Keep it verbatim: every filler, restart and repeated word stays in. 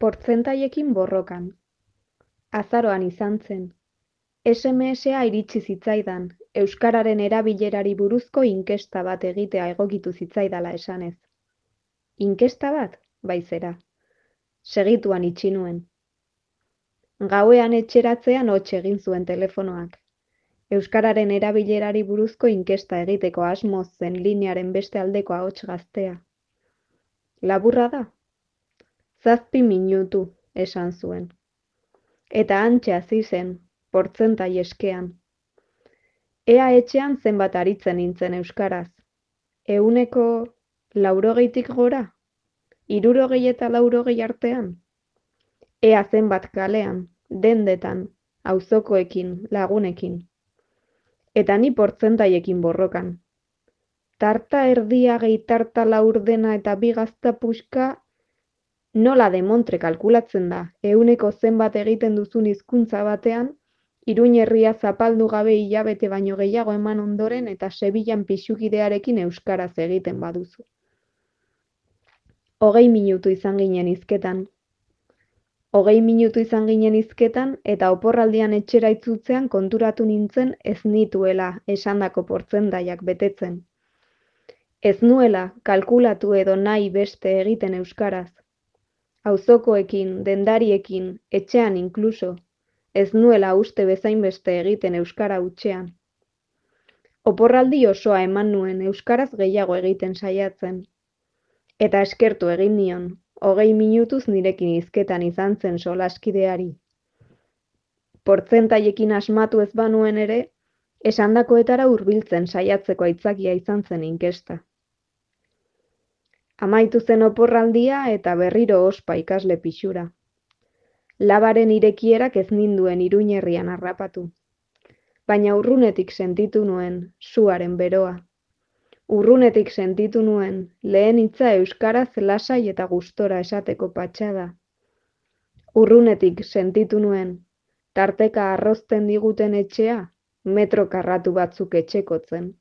Portzentaiekin borrokan. Azaroan izan zen. S M S-a iritsi zitzaidan, euskararen erabilerari buruzko inkesta bat egitea egokitu zitzaidala esanez. Inkesta bat? Bai zera. Segituan itxi nuen. Gauean etxeratzean hots egin zuen telefonoak. Euskararen erabilerari buruzko inkesta egiteko asmoz zen linearen beste aldeko ahots gaztea. Laburra da? Zazpi minutu, esan zuen. Eta hantxe hasi zen, portzentai eskean. Ea etxean zenbat aritzen nintzen euskaraz. Ehuneko laurogeitik gora? Hirurogei eta laurogei artean? Ea zenbat kalean, dendetan, auzokoekin, lagunekin. Eta ni portzentaiekin borrokan. Tarta erdia gehi tarta laurdena eta bi gazta puxka, nola demontre kalkulatzen da, ehuneko zenbat egiten duzun hizkuntza batean, Iruin herria zapaldu gabe hilabete baino gehiago eman ondoren eta Sevillan pixukidearekin euskaraz egiten baduzu. Hogei minutu izan ginen hizketan. Hogei minutu izan ginen hizketan eta oporraldian etxera itzultzean konturatu nintzen ez nituela esandako portzentaiak betetzen. Ez nuela kalkulatu edo nahi beste egiten euskaraz. Auzokoekin, dendariekin, etxean inkluso. Ez nuela uste bezain beste egiten euskara hutsean. Oporraldi osoa eman nuen euskaraz gehiago egiten saiatzen. Eta eskertu egin nion, hogei minutuz nirekin hizketan izan zen solaskideari. Portzentaiekin asmatu ez banuen ere, esandakoetara hurbiltzen saiatzeko aitzakia izan zen inkesta. Amaitu zen oporraldia eta berriro ospa ikasle pixura. Labaren irekierak ez ninduen Iruin herrian harrapatu. Baina urrunetik sentitu nuen suaren beroa. Urrunetik sentitu nuen lehen hitza euskaraz lasai eta gustora esateko patxada. Urrunetik sentitu nuen tarteka arrozten diguten etxea metro karratu batzuk etxekotzen.